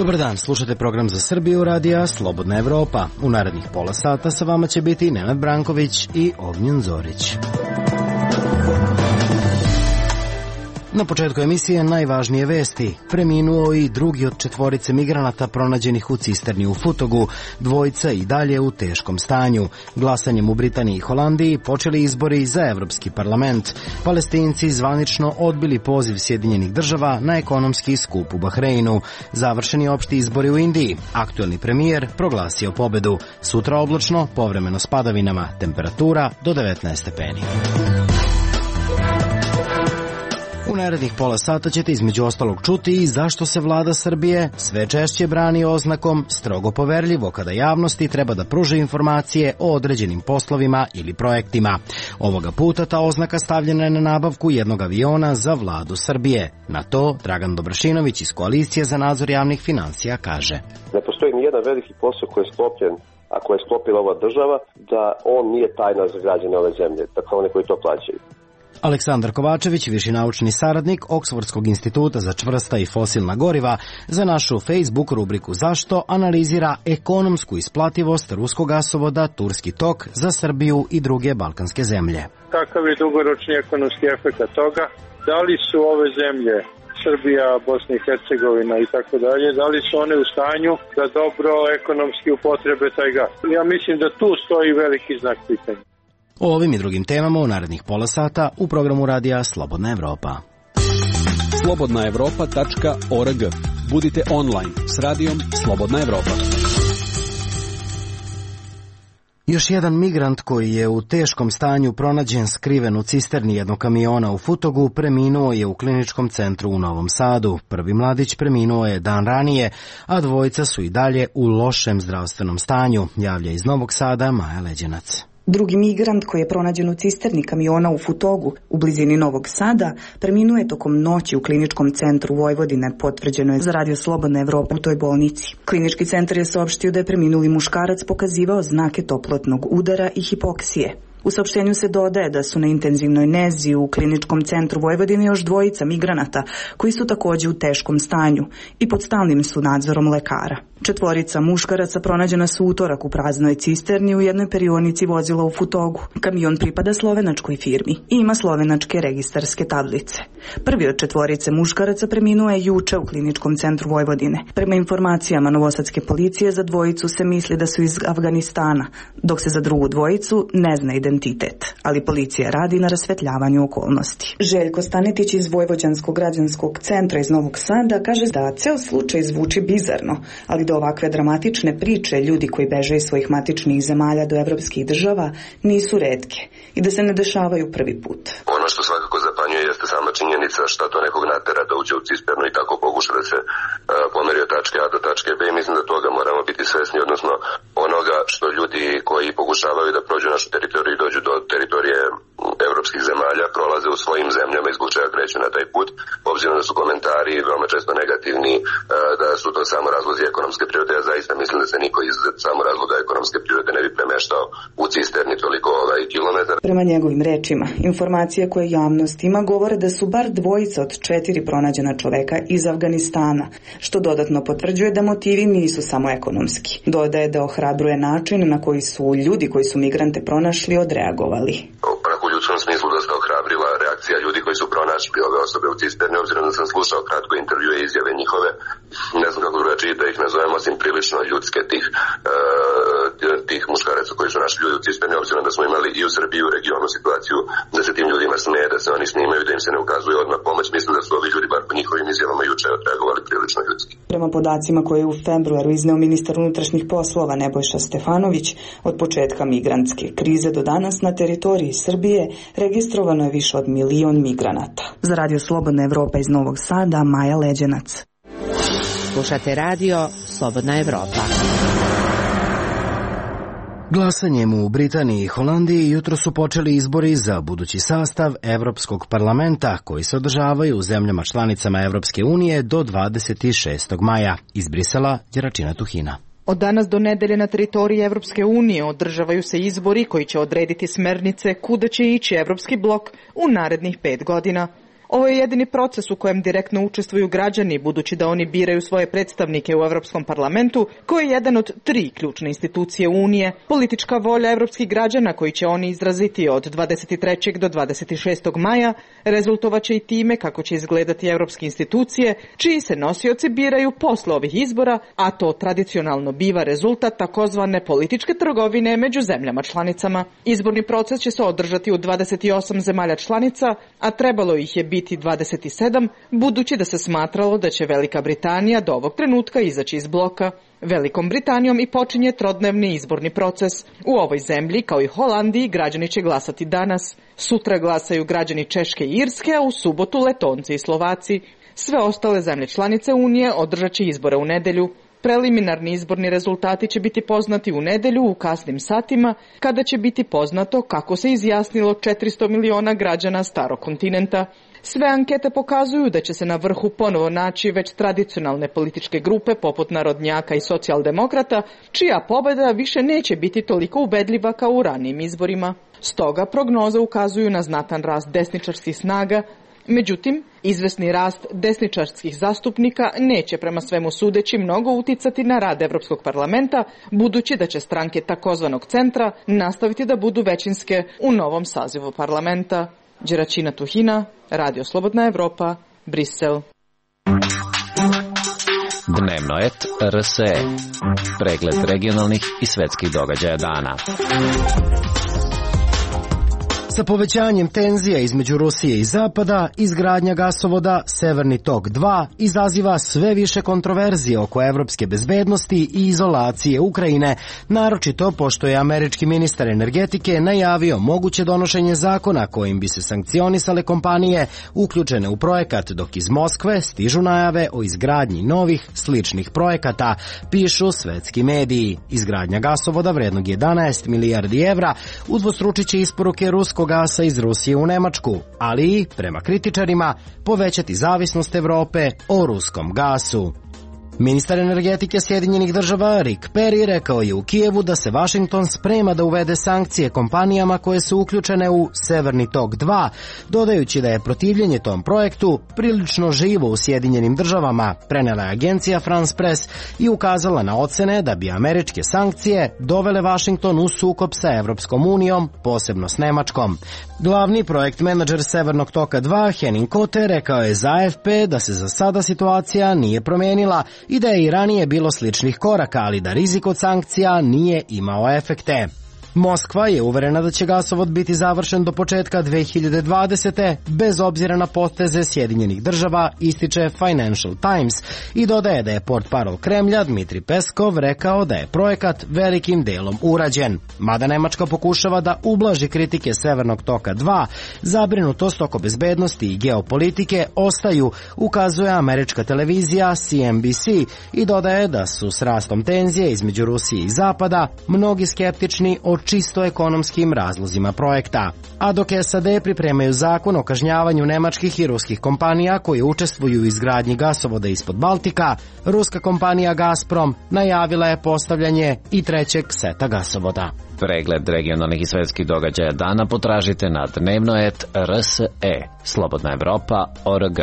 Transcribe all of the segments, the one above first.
Dobar dan, slušate program za Srbiju radija Slobodna Evropa. U narednih pola sata sa vama će biti Nenad Branković i Ognjen Zorić. Na početku emisije najvažnije vesti. Preminuo i drugi od 4 migranata pronađenih u cisterni u Futogu, 2 i dalje u teškom stanju. Glasanjem u Britaniji i Holandiji počeli izbori za Evropski parlament. Palestinci zvanično odbili poziv Sjedinjenih država na ekonomski skup u Bahreinu. Završeni opšti izbori u Indiji. Aktuelni premijer proglasio pobedu. Sutra oblačno, povremeno s padavinama, temperatura do 19 stepeni. U narednih pola sata ćete između ostalog čuti i zašto se vlada Srbije sve češće brani oznakom strogo poverljivo kada javnosti treba da pruže informacije o određenim poslovima ili projektima. Ovoga puta ta oznaka stavljena je na nabavku jednog aviona za vladu Srbije. Na to Dragan Dobrašinović iz Koalicije za nadzor javnih finansija kaže: Ne postoji ni jedan veliki posao koji je sklopljen, a koje je sklopila ova država, da on nije tajna za građane ove zemlje, dakle one koji to plaćaju. Aleksandar Kovačević, viši naučni saradnik Oksfordskog instituta za čvrsta i fosilna goriva, za našu Facebook rubriku Zašto analizira ekonomsku isplativost ruskog gasovoda Turski tok za Srbiju i druge balkanske zemlje. Kakav je dugoročni ekonomski efekt toga? Da li su ove zemlje, Srbija, Bosna i Hercegovina i tako dalje, da li su one u stanju da dobro ekonomski upotrebe taj gas? Ja mislim da tu stoji veliki znak pitanja. O ovim i drugim temama u narednih pola sata u programu radija Slobodna Evropa. slobodnaevropa.org. Budite online s radijom Slobodna Evropa. Još jedan migrant koji je u teškom stanju pronađen skriven u cisterni jednog kamiona u Futogu preminuo je u kliničkom centru u Novom Sadu. Prvi mladić preminuo je dan ranije, a 2 su i dalje u lošem zdravstvenom stanju, javlja iz Novog Sada Maja Leđenac. Drugi migrant koji je pronađen u cisterni kamiona u Futogu u blizini Novog Sada preminuo je tokom noći u kliničkom centru Vojvodine, potvrđeno je za Radio Slobodna Evropa u toj bolnici. Klinički centar je saopštio da je preminuli muškarac pokazivao znake toplotnog udara i hipoksije. U saopštenju se dodaje da su na intenzivnoj nezi u kliničkom centru Vojvodine još 2 migranata koji su također u teškom stanju i pod stalnim su nadzorom lekara. 4 muškaraca pronađena su utorak u praznoj cisterni u jednoj perionici vozila u Futogu. Kamion pripada slovenačkoj firmi i ima slovenačke registarske tablice. Prvi od 4 muškaraca preminuo je juče u kliničkom centru Vojvodine. Prema informacijama novosadske policije za 2 se misli da su iz Afganistana, dok se za drugu 2 ne zna identitet, ali policija radi na rasvetljavanju okolnosti. Željko Stanetić iz Vojvođanskog građanskog centra iz Novog Sada kaže da ceo slučaj zvuči bizarno, ali da ovakve dramatične priče ljudi koji beže iz svojih matičnih zemalja do evropskih država nisu retke i da se ne dešavaju prvi put. Ono što svakako zapanjuje jeste sama činjenica šta to nekog natera da uđe u cisternu i tako pokuša da se pomeri od tačke A do tačke B. Mislim da toga moramo biti svesni, odnosno onoga što ljudi koji pokušavaju da prođu našu teritoriju i dođu do teritorije evropskih zemalja prolaze u svojim zemljama i zbog čega kreću na taj put, obzirom da su komentari veoma često negativni, da su to samo razlozi ekonomske prirode. Ja zaista mislim da se niko iz samo razloga ekonomske prirode ne bi premeštao u cisterni toliko kilometara. Prema njegovim rečima, informacije koje javnost ima govore da su bar 2 od 4 pronađena čoveka iz Afganistana, što dodatno potvrđuje da motivi nisu samo ekonomski. Dodaje da ohrabruje način na koji su ljudi koji su migrante pronašli odreagovali. U ljudskom smislu dosta ohrabrila reakcija ljudi koji su pronašli ove osobe u cisterni, obzirom da sam slušao kratko intervjue i izjave njihove, ne znam kako drugačije da ih nazovem, osim prilično ljudske tih muškaraca koji su našli ljudi u cisterni, obzirom da smo imali i u Srbiji i u regionu situaciju da se tim ljudima smeje, da se oni snimaju, da im se ne ukazuje odmah pomoć. Mislim da su ovi ljudi, bar po njihovim izjavama, juče odreagovali prilično ljudski. Prema podacima koje je u februaru izneo ministar unutrašnjih poslova Nebojša Stefanović, od početka migrantske krize do danas na teritoriji Srbije registrovano je više od 1 milion migranata. Za Radio Slobodna Evropa iz Novog Sada, Maja Leđenac. Slušate radio Slobodna Evropa. Glasanjem u Britaniji i Holandiji jutro su počeli izbori za budući sastav Evropskog parlamenta koji se održavaju u zemljama članicama Evropske unije do 26. maja. Iz Brisela, Đeračina Tuhina. Od danas do nedelje na teritoriji Evropske unije održavaju se izbori koji će odrediti smernice kuda će ići Evropski blok u narednih 5 godina. Ovo je jedini proces u kojem direktno učestvuju građani, budući da oni biraju svoje predstavnike u Evropskom parlamentu, koji je jedan od 3 ključne institucije Unije. Politička volja evropskih građana koji će oni izraziti od 23. do 26. maja rezultovaće i time kako će izgledati evropske institucije, čiji se nosioci biraju posle ovih izbora, a to tradicionalno biva rezultat takozvane političke trgovine među zemljama članicama. Izborni proces će se održati u 28 zemalja članica, a trebalo ih je biti 27, budući da se smatralo da će Velika Britanija do ovog trenutka izaći iz bloka. Velikom Britanijom i počinje trodnevni izborni proces. U ovoj zemlji, kao i Holandiji, građani će glasati danas. Sutra glasaju građani Češke i Irske, a u subotu Letonci i Slovaci. Sve ostale zemlje članice Unije održat će izbore u nedelju. Preliminarni izborni rezultati će biti poznati u nedelju u kasnim satima, kada će biti poznato kako se izjasnilo 400 miliona građana starog kontinenta. Sve ankete pokazuju da će se na vrhu ponovo naći već tradicionalne političke grupe poput narodnjaka i socijaldemokrata, čija pobjeda više neće biti toliko ubedljiva kao u ranijim izborima. Stoga prognoze ukazuju na znatan rast desničarskih snaga. Međutim, izvesni rast desničarskih zastupnika neće prema svemu sudeći mnogo uticati na rad Evropskog parlamenta, budući da će stranke takozvanog centra nastaviti da budu većinske u novom sazivu parlamenta. Đeračina Tuhina, Radio Slobodna Evropa, Brisel. Dnevno et RSE. Pregled regionalnih i svetskih događaja dana. Sa povećanjem tenzija između Rusije i Zapada, izgradnja gasovoda Severni tok 2 izaziva sve više kontroverzije oko evropske bezbednosti i izolacije Ukrajine, naročito pošto je američki ministar energetike najavio moguće donošenje zakona kojim bi se sankcionisale kompanije uključene u projekat, dok iz Moskve stižu najave o izgradnji novih sličnih projekata, pišu svetski mediji. Izgradnja gasovoda vrednog 11 milijardi evra udvostručit će isporuke ruskog gasa iz Rusije u Nemačku, ali i, prema kritičarima, povećati zavisnost Evrope o ruskom gasu. Ministar energetike Sjedinjenih država Rick Perry rekao je u Kijevu da se Washington sprema da uvede sankcije kompanijama koje su uključene u Severni tok 2, dodajući da je protivljenje tom projektu prilično živo u Sjedinjenim državama, prenela je agencija France Press i ukazala na ocene da bi američke sankcije dovele Washington u sukob sa Evropskom unijom, posebno s Nemačkom. Glavni projekt menadžer Severnog toka 2, Henning Kote, rekao je za AFP da se za sada situacija nije promijenila i da je i ranije bilo sličnih koraka, ali da rizik od sankcija nije imao efekte. Moskva je uverena da će gasovod biti završen do početka 2020. bez obzira na poteze Sjedinjenih država, ističe Financial Times i dodaje da je portparol Kremlja Dmitri Peskov rekao da je projekat velikim delom urađen. Mada Nemačka pokušava da ublaži kritike Severnog toka 2, zabrinutost oko bezbednosti i geopolitike ostaju, ukazuje američka televizija CNBC i dodaje da su s rastom tenzije između Rusije i Zapada mnogi skeptični o čisto ekonomskim razlozima projekta. A dok SAD pripremaju zakon o kažnjavanju nemačkih i ruskih kompanija koje učestvuju u izgradnji gasovoda ispod Baltika, ruska kompanija Gazprom najavila je postavljanje i trećeg seta gasovoda. Pregled regionalnih i svetskih događaja dana potražite na dnevno.rs.e. Slobodna Evropa.org.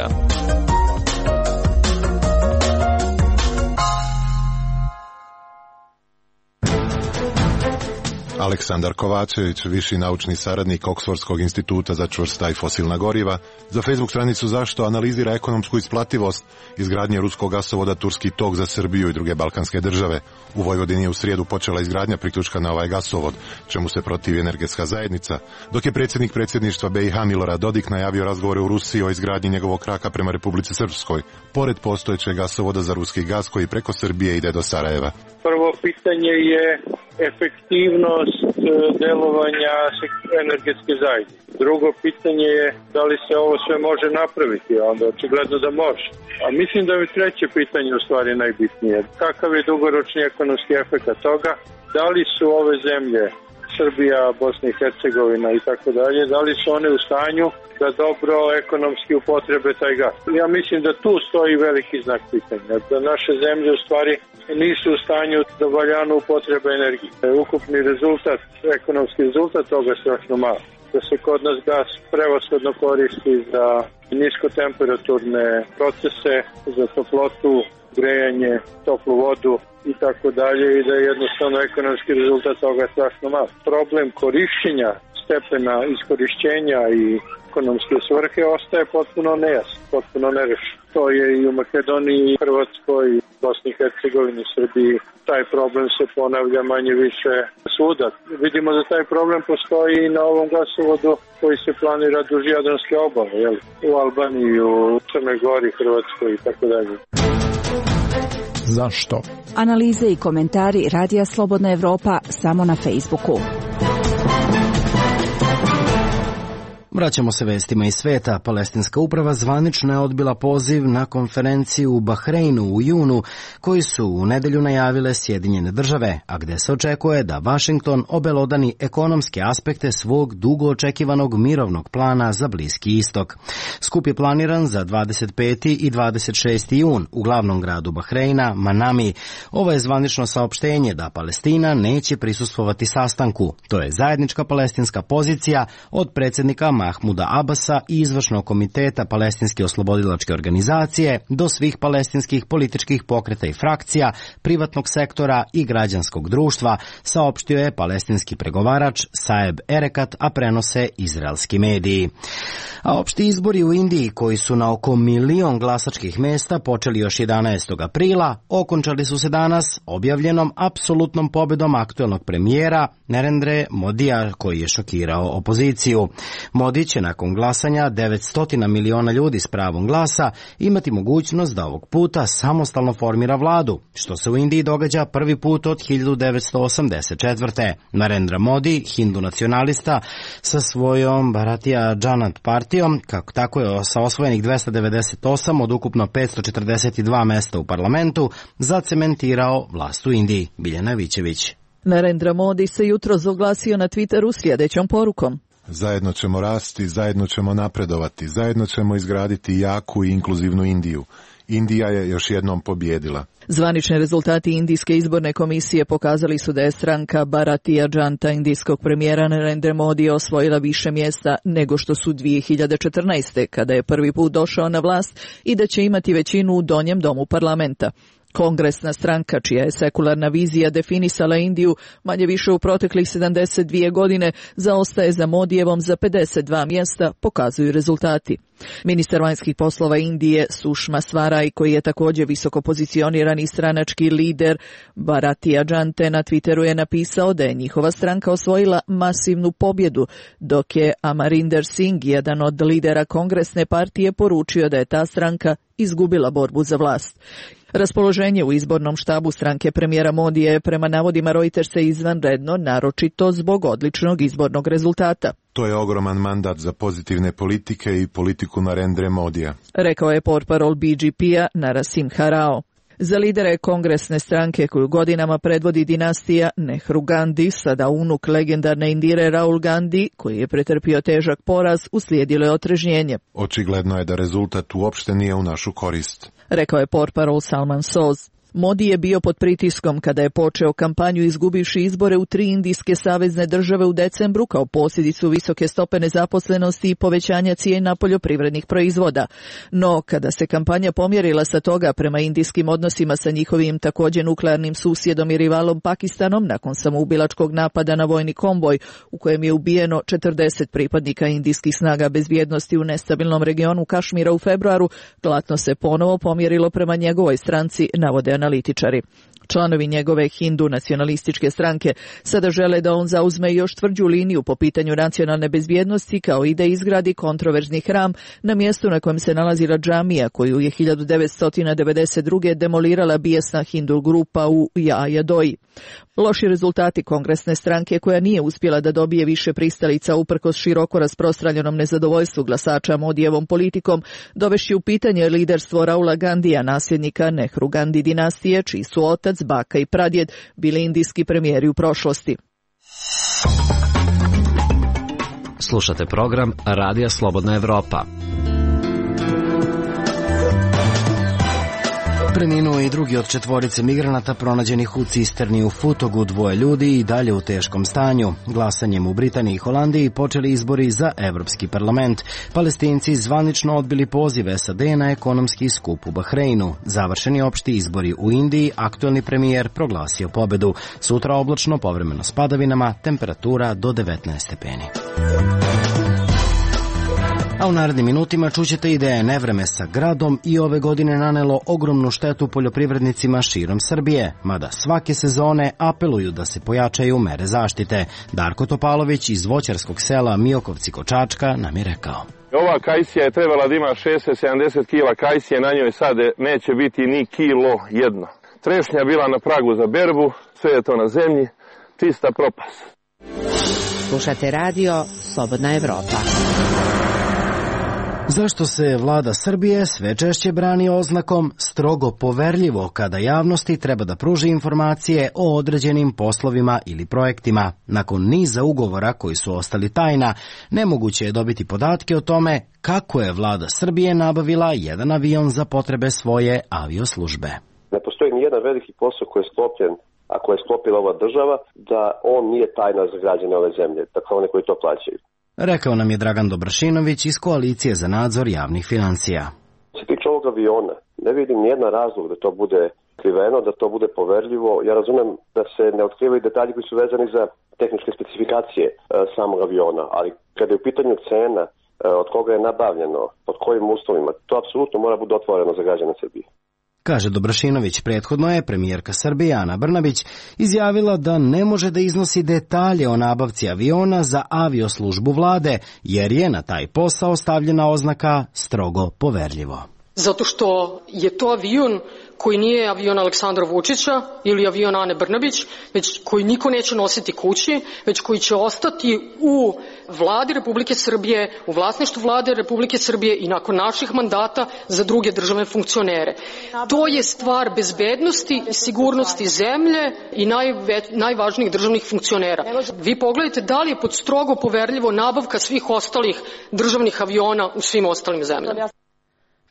Aleksandar Kovačević, viši naučni saradnik Oksfordskog instituta za čvrsta i fosilna goriva, za Facebook stranicu Zašto analizira ekonomsku isplativost izgradnje ruskog gasovoda Turski tok za Srbiju i druge balkanske države. U Vojvodini je u srijedu počela izgradnja priključka na ovaj gasovod, čemu se protivi energetska zajednica, dok je predsjednik predsjedništva BiH Milorad Dodik najavio razgovore u Rusiji o izgradnji njegovog kraka prema Republici Srpskoj, pored postojećeg gasovoda za ruski gas koji preko Srbije ide do Sarajeva. Prvo pitanje je efektivnost delovanja energetske zajednice. Drugo pitanje je da li se ovo sve može napraviti, a onda očigledno da može. A mislim da je treće pitanje u stvari najbitnije. Kakav je dugoročni ekonomski efekt toga? Da li su ove zemlje, Srbija, Bosna i Hercegovina i tako dalje, da li su one u stanju da dobro ekonomski upotrebe taj gas? Ja mislim da tu stoji veliki znak pitanja, da naše zemlje u stvari nisu u stanju da valjano upotrebe energije. Ukupni rezultat, ekonomski rezultat toga je strašno malo. Da se kod nas gas prevashodno koristi za niskotemperaturne procese za toplotu, grejanje, toplu vodu i tako dalje i da je jednostavno ekonomski rezultat toga strašno malo. Problem korišćenja, stepena iskorišćenja i ekonomske svrhe ostaje potpuno nejasan, potpuno nerešen. To je i u Makedoniji, Hrvatskoj, Bosni i Hercegovini, Srbiji. Taj problem se ponavlja manje više svuda. Vidimo da taj problem postoji i na ovom gasovodu koji se planira duž Jadranske obale, u Albaniji, u Crnoj Gori, Hrvatskoj i tako dalje. Zašto? Analize i komentari Radija Slobodna Evropa samo na Facebooku. Vraćamo se vestima iz sveta. Palestinska uprava zvanično je odbila poziv na konferenciju u Bahreinu u junu, koji su u nedelju najavile Sjedinjene države, a gde se očekuje da Vašington obelodani ekonomske aspekte svog dugo očekivanog mirovnog plana za Bliski istok. Skup je planiran za 25. i 26. jun u glavnom gradu Bahreina, Manami. Ovo je zvanično saopštenje da Palestina neće prisustvovati sastanku. To je zajednička palestinska pozicija od predsjednika Mahmuda Abasa i izvršnog komiteta Palestinske oslobodilačke organizacije do svih palestinskih političkih pokreta i frakcija, privatnog sektora i građanskog društva, saopštio je palestinski pregovarač Saeb Erekat, a prenose izraelski mediji. A opšti izbori u Indiji, koji su na oko 1 milion glasačkih mesta počeli još 11. aprila, okončali su se danas objavljenom apsolutnom pobedom aktuelnog premijera Narendre Modija, koji je šokirao opoziciju. Modi će nakon glasanja 900 miliona ljudi s pravom glasa imati mogućnost da ovog puta samostalno formira vladu, što se u Indiji događa prvi put od 1984. Narendra Modi, hindu nacionalista, sa svojom Bharatiya Janata partijom, kako tako je sa osvojenih 298 od ukupno 542 mesta u parlamentu, zacementirao vlast u Indiji. Biljana Vićević. Narendra Modi se jutros oglasio na Twitteru sljedećom porukom. Zajedno ćemo rasti, zajedno ćemo napredovati, zajedno ćemo izgraditi jaku i inkluzivnu Indiju. Indija je još jednom pobjedila. Zvanični rezultati Indijske izborne komisije pokazali su da je stranka Bharatiya Janata indijskog premijera Narendra Modi osvojila više mjesta nego što su 2014. kada je prvi put došao na vlast i da će imati većinu u donjem domu parlamenta. Kongresna stranka, čija je sekularna vizija definisala Indiju manje više u proteklih 72 godine, zaostaje za Modijevom za 52 mjesta, pokazuju rezultati. Ministar vanjskih poslova Indije Sushma Swaraj, koji je također visoko pozicionirani stranački lider Bharatiya Janate, na Twitteru je napisao da je njihova stranka osvojila masivnu pobjedu, dok je Amarinder Singh, jedan od lidera kongresne partije, poručio da je ta stranka izgubila borbu za vlast. Raspoloženje u izbornom štabu stranke premijera Modija je prema navodima Reutersa izvanredno, naročito zbog odličnog izbornog rezultata. To je ogroman mandat za pozitivne politike i politiku Narendre Modija, rekao je portparol BJP-a Narasimha Rao. Za lidere kongresne stranke koju godinama predvodi dinastija Nehru Gandhi, sada unuk legendarne Indire Rahul Gandhi, koji je pretrpio težak poraz, uslijedilo je otrežnjenje. Očigledno je da rezultat uopšte nije u našu korist, rekao je portparol Salman Soz. Modi je bio pod pritiskom kada je počeo kampanju izgubivši izbore u 3 indijske savezne države u decembru kao posljedicu visoke stope nezaposlenosti i povećanja cijena poljoprivrednih proizvoda. No, kada se kampanja pomjerila sa toga prema indijskim odnosima sa njihovim također nuklearnim susjedom i rivalom Pakistanom nakon samoubilačkog napada na vojni konvoj u kojem je ubijeno 40 pripadnika indijskih snaga bezbjednosti u nestabilnom regionu Kašmira u februaru, platno se ponovo pomjerilo prema njegovoj stranci, navode analitičari. Članovi njegove hindu nacionalističke stranke sada žele da on zauzme još tvrđu liniju po pitanju nacionalne bezbjednosti, kao i da izgradi kontroverzni hram na mjestu na kojem se nalazila džamija koju je 1992. demolirala bijesna hindu grupa u Jajadoji. Loši rezultati kongresne stranke, koja nije uspjela da dobije više pristalica uprkos široko rasprostranjenom nezadovoljstvu glasača Modijevom politikom, dovešći u pitanje liderstvo Rahula Gandhija, nasljednika Nehru Gandhi dinastije, čiji su otac, baka i pradjed bili indijski premijeri u prošlosti. Slušate program Radija Slobodna Evropa. Preminuo i drugi od četvorice migranata pronađenih u cisterni u Futogu, 2 ljudi i dalje u teškom stanju. Glasanjem u Britaniji i Holandiji počeli izbori za Evropski parlament. Palestinci zvanično odbili poziv SAD na ekonomski skup u Bahreinu. Završeni opšti izbori u Indiji, aktuelni premijer proglasio pobedu. Sutra oblačno, povremeno s padavinama, temperatura do 19 stepeni. A u narednim minutima čućete i da je nevreme sa gradom i ove godine nanelo ogromnu štetu poljoprivrednicima širom Srbije, mada svake sezone apeluju da se pojačaju mere zaštite. Darko Topalović iz voćarskog sela Miokovci kod Čačka nam je rekao. Ova kajsija je trebala da ima 670 kila kajsije, na njoj sad neće biti ni kilo jedno. Trešnja bila na pragu za berbu, sve je to na zemlji, čista propast. Slušate radio Slobodna Evropa. Zašto se vlada Srbije sve češće brani oznakom strogo poverljivo kada javnosti treba da pruži informacije o određenim poslovima ili projektima? Nakon niza ugovora koji su ostali tajna, nemoguće je dobiti podatke o tome kako je vlada Srbije nabavila jedan avion za potrebe svoje avioslužbe. Ne postoji ni jedan veliki posao koji je sklopljen, a koje je sklopila ova država, da on nije tajna za građane ove zemlje, dakle one koji to plaćaju. Rekao nam je Dragan Dobrašinović iz Koalicije za nadzor javnih financija. Što se tiče ovog aviona, ne vidim nijedan razlog da to bude skriveno, da to bude poverljivo. Ja razumem da se ne otkrivaju detalji koji su vezani za tehničke specifikacije samog aviona, ali kada je u pitanju cena, od koga je nabavljeno, pod kojim uslovima, to apsolutno mora biti otvoreno za građane Srbije. Kaže Dobrašinović, prethodno je premijerka Srbije Ana Brnabić izjavila da ne može da iznosi detalje o nabavci aviona za avioslužbu vlade, jer je na taj posao stavljena oznaka strogo poverljivo. Zato što je to avion koji nije avion Aleksandra Vučića ili avion Ane Brnabić, već koji niko neće nositi kući, već koji će ostati u vladi Republike Srbije, u vlasništvu vlade Republike Srbije i nakon naših mandata za druge državne funkcionere. To je stvar bezbednosti i sigurnosti zemlje i najvažnijih državnih funkcionera. Vi pogledajte da li je pod strogo poverljivo nabavka svih ostalih državnih aviona u svim ostalim zemljama.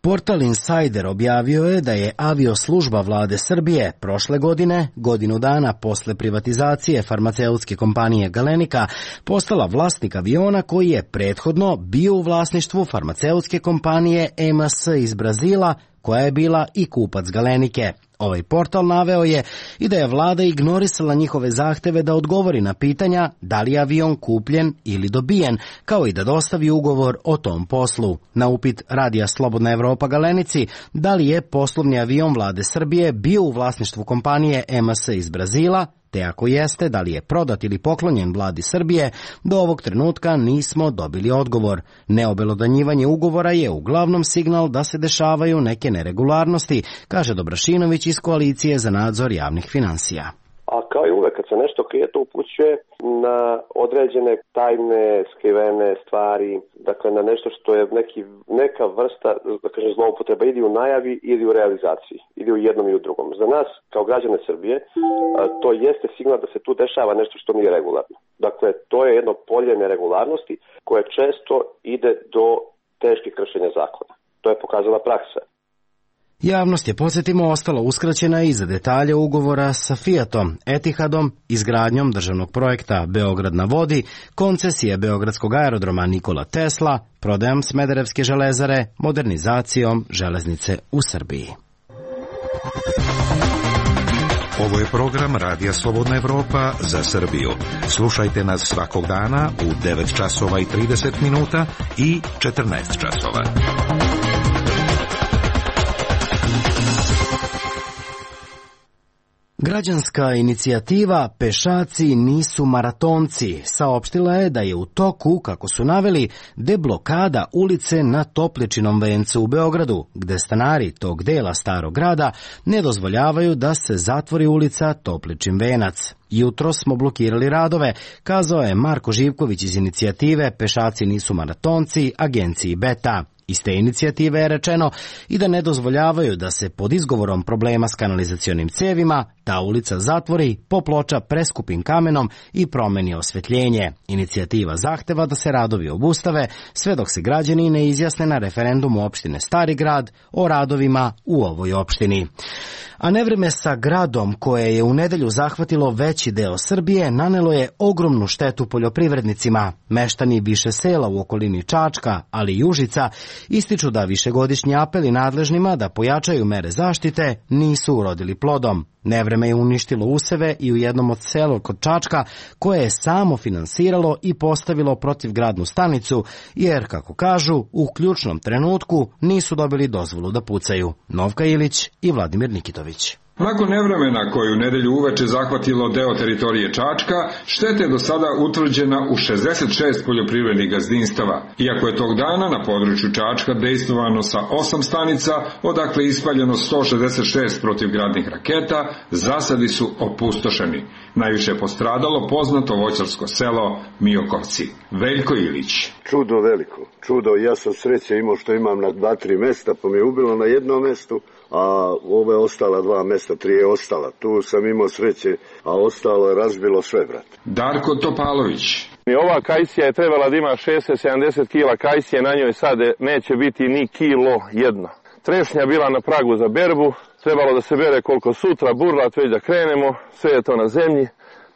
Portal Insider objavio je da je avioslužba vlade Srbije prošle godine, godinu dana posle privatizacije farmaceutske kompanije Galenika, postala vlasnik aviona koji je prethodno bio u vlasništvu farmaceutske kompanije EMS iz Brazila, koja je bila i kupac Galenike. Ovaj portal naveo je i da je vlada ignorisala njihove zahteve da odgovori na pitanja da li je avion kupljen ili dobijen, kao i da dostavi ugovor o tom poslu. Na upit Radija Slobodna Evropa Galenici da li je poslovni avion vlade Srbije bio u vlasništvu kompanije EMS iz Brazila, te ako jeste, da li je prodat ili poklonjen vladi Srbije, do ovog trenutka nismo dobili odgovor. Neobelodanjivanje ugovora je uglavnom signal da se dešavaju neke neregularnosti, kaže Dobrašinović iz Koalicije za nadzor javnih finansija. A kao i uvek, kad se nešto krije, to upućuje na određene tajne, skrivene stvari, dakle na nešto što je neka vrsta, da kažem, zloupotreba ili u najavi ili u realizaciji, ili u jednom i u drugom. Za nas, kao građane Srbije, to jeste signal da se tu dešava nešto što nije regularno. Dakle, to je jedno polje neregularnosti koje često ide do teških kršenja zakona. To je pokazala praksa. Javnost je, podsjetimo, ostala uskraćena i za detalje ugovora sa Fiatom, Etihadom, izgradnjom državnog projekta Beograd na vodi, koncesije Beogradskog aerodroma Nikola Tesla, prodajom Smederevske železare, modernizacijom železnice u Srbiji. Ovo je program Radija Slobodna Evropa za Srbiju. Slušajte nas svakog dana u 9 časova i 30 minuta i 14 časova. Građanska inicijativa Pešaci nisu maratonci saopštila je da je u toku, kako su naveli, deblokada ulice na Topličinom vencu u Beogradu, gde stanari tog dela starog grada ne dozvoljavaju da se zatvori ulica Topličin venac. Jutro smo blokirali radove, kazao je Marko Živković iz inicijative Pešaci nisu maratonci, agenciji Beta. Iz te inicijative je rečeno i da ne dozvoljavaju da se pod izgovorom problema s kanalizacionim cevima ta ulica zatvori, poploča preskupim kamenom i promeni osvetljenje. Inicijativa zahteva da se radovi obustave sve dok se građani ne izjasne na referendumu opštine Stari Grad o radovima u ovoj opštini. A nevreme sa gradom koje je u nedelju zahvatilo veći deo Srbije nanelo je ogromnu štetu poljoprivrednicima. Meštani više sela u okolini Čačka, ali i Užica, ističu da višegodišnji apeli nadležnima da pojačaju mere zaštite nisu urodili plodom. Nevreme je uništilo useve i u jednom od sela kod Čačka koje je samo finansiralo i postavilo protivgradnu stanicu, jer, kako kažu, u ključnom trenutku nisu dobili dozvolu da pucaju. Novka Ilić i Vladimir Nikitović. Nakon nevremena koju nedelju uveče zahvatilo deo teritorije Čačka, šteta je do sada utvrđena u 66 poljoprivrednih gazdinstava. Iako je tog dana na području Čačka dejstvovano sa 8 stanica, odakle ispaljeno 166 protivgradnih raketa, zasadi su opustošeni. Najviše je postradalo poznato voćarsko selo Miokovci. Veljko Ilić. Čudo veliko, čudo. Ja sam sreće imao što imam na 2-3 mesta, pa mi je ubilo na jednom mestu, a ove ostala 2 mesta, 3 je ostala. Tu sam imao sreće, a ostalo je razbilo sve, brat. Darko Topalović. Ova kajsija je trebala da ima 60-70 kila kajsije, na njoj sad neće biti ni kilo jedno. Trešnja bila na pragu za berbu, trebalo da se bere koliko sutra, burlat već da krenemo, sve je to na zemlji,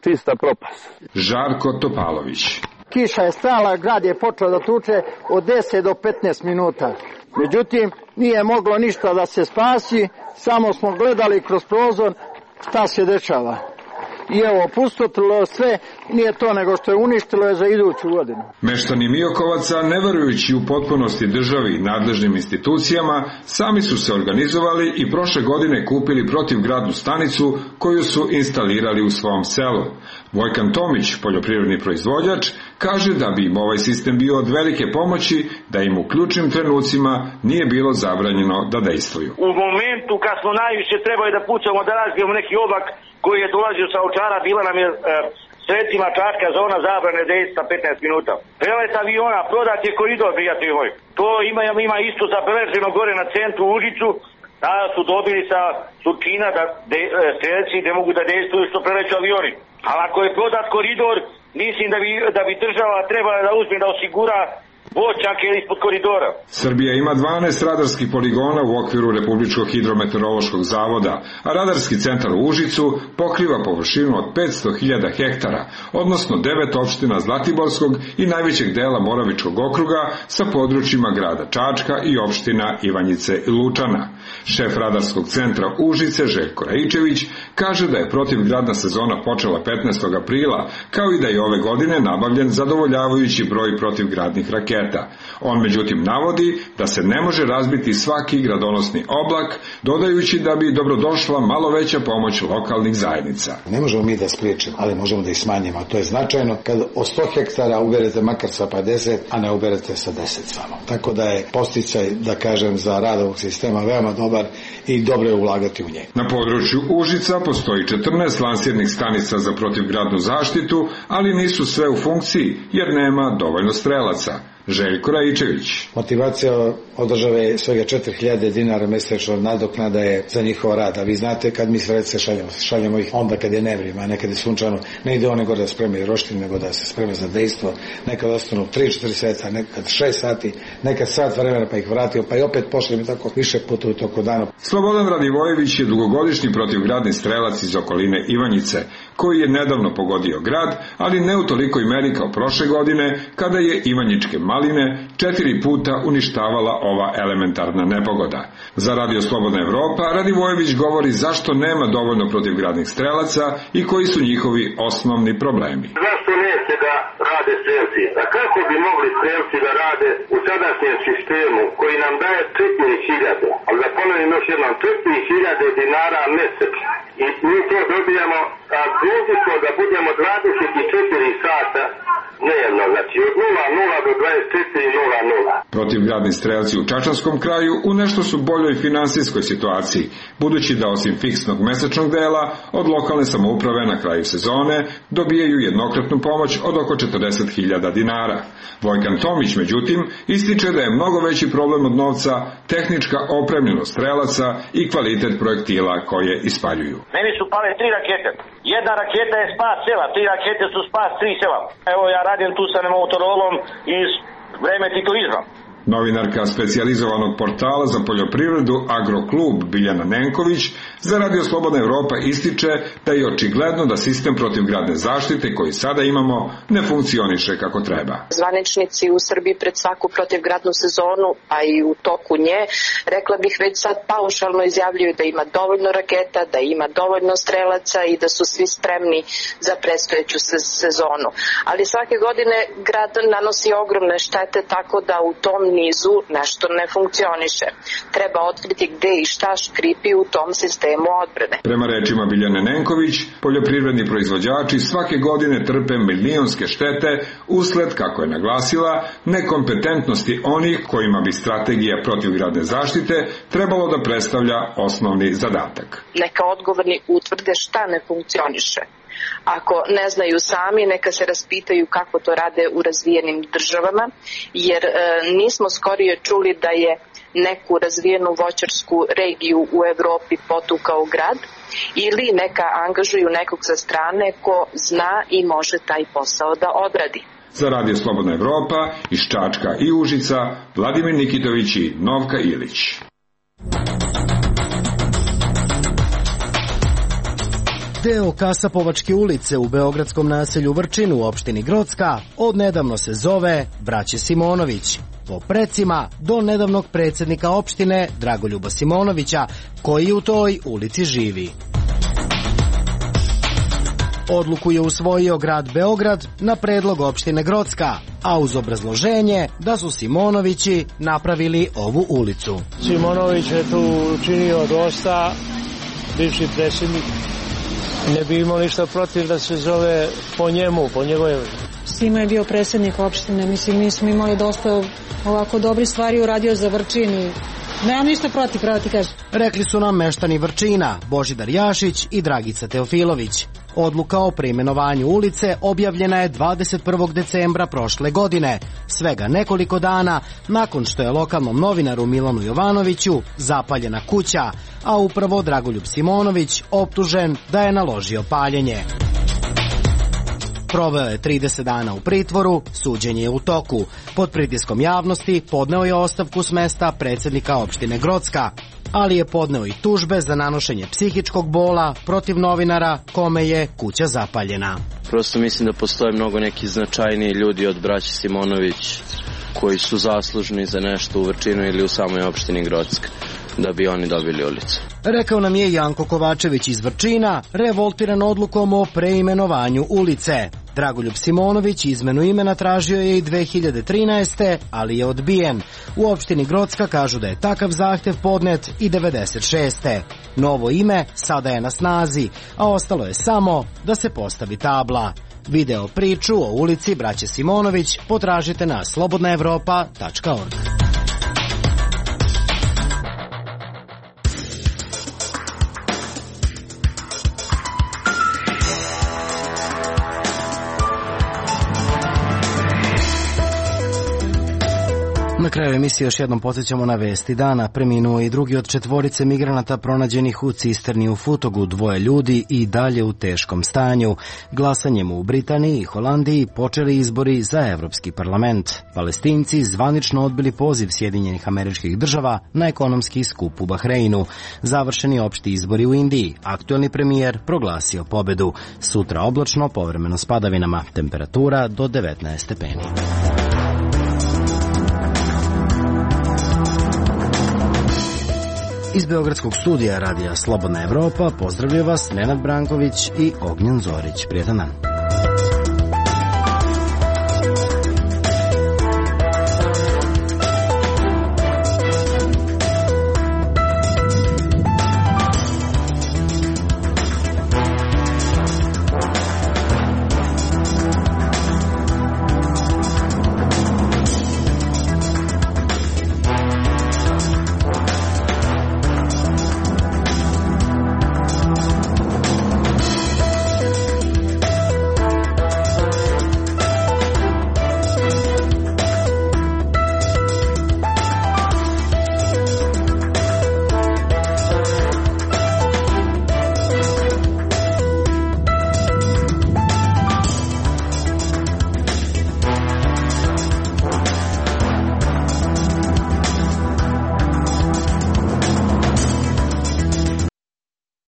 čista propast. Žarko Topalović. Kiša je stala, grad je počeo da tuče od 10 do 15 minuta. Međutim, nije moglo ništa da se spasi, samo smo gledali kroz prozor šta se dešava. I evo, pustotilo sve, nije to nego što je uništilo je za iduću godinu. Meštani Miokovaca, ne verujući u potpunosti državi i nadležnim institucijama, sami su se organizovali i prošle godine kupili protivgradnu stanicu koju su instalirali u svom selu. Vojkan Tomić, poljoprivredni proizvođač, kaže da bi im ovaj sistem bio od velike pomoći, da im u ključnim trenucima nije bilo zabranjeno da dejstvuju. U momentu kad smo najviše trebali da pucamo, da razbijemo neki oblak koji je dolazio sa Ovčara, bila nam je sredstvima Čačka zona zabrane dejstva 15 minuta. Prelet aviona, prodat je koridor, prijatelji moji. To ima isto zabeleženo gore na centru Užicu, da su dobili sa Surčina da strelci ne mogu da dejstvuju što preleću avioni. Ali ako je prodat koridor, mislim da bi država trebala da uzme da osigura voćake ispod koridora. Srbija ima 12 radarskih poligona u okviru Republičkog hidrometeorološkog zavoda, a radarski centar u Užicu pokriva površinu od 500.000 hektara, odnosno 9 opština Zlatiborskog i najvećeg dela Moravičkog okruga sa područjima grada Čačka i opština Ivanjice i Lučana. Šef radarskog centra Užice, Željko Raičević, kaže da je protivgradna sezona počela 15. aprila, kao i da je ove godine nabavljen zadovoljavajući broj protivgradnih raketa. On međutim navodi da se ne može razbiti svaki gradonosni oblak, dodajući da bi dobrodošla malo veća pomoć lokalnih zajednica. Ne možemo mi da spriječimo, ali možemo da ih smanjimo, a to je značajno kad od 100 hektara uberete makar sa 50, a ne uberete sa 10 samo. Tako da je posticaj, da kažem, za rad ovog sistema veoma dobar i dobro je ulagati u njega. Na području Užica postoji 14 lansirnih stanica za protivgradnu zaštitu, ali nisu sve u funkciji jer nema dovoljno strelaca. Željko Raičević. Motivacija od države je svega 4.000 dinara mesečno nadoknada je za njihov rad, a vi znate kad mi sredce šaljemo ih onda kad je nevreme, a nekad je sunčano, ne ide one gore da spremaju roštine, nego da se spreme za dejstvo, nekad ostanu 3-4 sata, nekad 6 sati, nekad sat vremena pa ih vratio, pa i opet pošlim i tako više puta u toku dana. Slobodan Radivojević je dugogodišnji protivgradni strelac iz okoline Ivanjice, koji je nedavno pogodio grad, ali ne u tolikoj meri kao prošle godine, kada je ivanjičke maline 4 puta uništavala ova elementarna nepogoda. Za Radio Slobodna Evropa Radivojević govori zašto nema dovoljno protivgradnih strelaca i koji su njihovi osnovni problemi. Zašto neće da rade strelci? A kako bi mogli strelci da rade u sadašnjem sistemu koji nam daje 4.000, ali da ponovim još jednom, 4.000 dinara mesečno. I mi to dobijamo, a dužni smo da budemo 24 sata dnevno, znači od 00 do 24:00. Protivgradni strelci u Čačanskom kraju u nešto su boljoj finansijskoj situaciji, budući da osim fiksnog mesečnog dela od lokalne samouprave na kraju sezone dobijaju jednokratnu pomoć od oko 40.000 dinara. Vojkan Tomić, međutim, ističe da je mnogo veći problem od novca tehnička opremljenost strelaca i kvalitet projektila koje ispaljuju. Meni su pale 3 rakete. Jedna raketa je spas sela, 3 rakete su spas 3 sela. Evo ja radim tu sa Motorolom iz vreme titoizma. Novinarka specijalizovanog portala za poljoprivredu Agroklub Biljana Nenković za Radio Slobodna Evropa ističe da je očigledno da sistem protivgradne zaštite koji sada imamo ne funkcioniše kako treba. Zvaničnici u Srbiji pred svaku protivgradnu sezonu, a i u toku nje, rekla bih već sad paušalno izjavljuju da ima dovoljno raketa, da ima dovoljno strelaca i da su svi spremni za predstojeću sezonu. Ali svake godine grad nanosi ogromne štete, tako da u tom nizu nešto ne funkcioniše. Treba otkriti gde i šta škripi u tom sistemu odbrane. Prema rečima Biljane Nenković, poljoprivredni proizvođači svake godine trpe milionske štete usled, kako je naglasila, nekompetentnosti onih kojima bi strategija protivgradne zaštite trebalo da predstavlja osnovni zadatak. Neka odgovorni utvrde šta ne funkcioniše. Ako ne znaju sami, neka se raspitaju kako to rade u razvijenim državama, jer nismo skorije čuli da je neku razvijenu voćarsku regiju u Evropi potukao grad ili neka angažuju nekog sa strane ko zna i može taj posao da odradi. Za Radio Slobodna Evropa iz Čačka i Užica, Vladimir Nikitović i Novka Ilić. Deo Kasapovačke ulice u beogradskom naselju Vrčin u opštini Grocka odnedavno se zove Braće Simonović, po precima do nedavnog predsjednika opštine Dragoljuba Simonovića, koji u toj ulici živi. Odluku je usvojio grad Beograd na predlog opštine Grocka, a uz obrazloženje da su Simonovići napravili ovu ulicu. Simonović je tu učinio dosta, bivši predsjednik. Ne bi imao ništa protiv da se zove po njemu, po njegove. Simo je bio predsjednik opštine, mislim, mi smo imali dosta ovako dobri stvari uradio za Vrčin i nemam ništa protiv, pravo ti kažem. Rekli su nam meštani Vrčina, Božidar Jašić i Dragica Teofilović. Odluka o preimenovanju ulice objavljena je 21. decembra prošle godine, svega nekoliko dana nakon što je lokalnom novinaru Milanu Jovanoviću zapaljena kuća, a upravo Dragoljub Simonović optužen da je naložio paljenje. Proveo je 30 dana u pritvoru, suđenje je u toku. Pod pritiskom javnosti podneo je ostavku s mesta predsjednika opštine Grocka, ali je podneo i tužbe za nanošenje psihičkog bola protiv novinara kome je kuća zapaljena. Prosto mislim da postoje mnogo neki značajniji ljudi od braće Simonović koji su zaslužni za nešto u Vrčinu ili u samoj opštini Grocka, da bi oni dobili ulicu. Rekao nam je Janko Kovačević iz Vrčina, revoltiran odlukom o preimenovanju ulice. Dragoljub Simonović izmenu imena tražio je i 2013. ali je odbijen. U opštini Grocka kažu da je takav zahtev podnet i 96. Novo ime sada je na snazi, a ostalo je samo da se postavi tabla. Video priču o ulici Braće Simonović potražite na slobodnaevropa.org. Na kraju emisije još jednom podsjećamo na vesti dana. Preminuo i drugi od 4 migranata pronađenih u cisterni u Futogu, 2 ljudi i dalje u teškom stanju. Glasanjem u Britaniji i Holandiji počeli izbori za Evropski parlament. Palestinci zvanično odbili poziv Sjedinjenih Američkih Država na ekonomski skup u Bahreinu. Završeni opšti izbori u Indiji. Aktuelni premijer proglasio pobedu. Sutra oblačno, povremeno s padavinama. Temperatura do 19 stepeni. Iz beogradskog studija Radija Slobodna Evropa pozdravljaju vas Nenad Branković i Ognjen Zorić. Prijetan dan.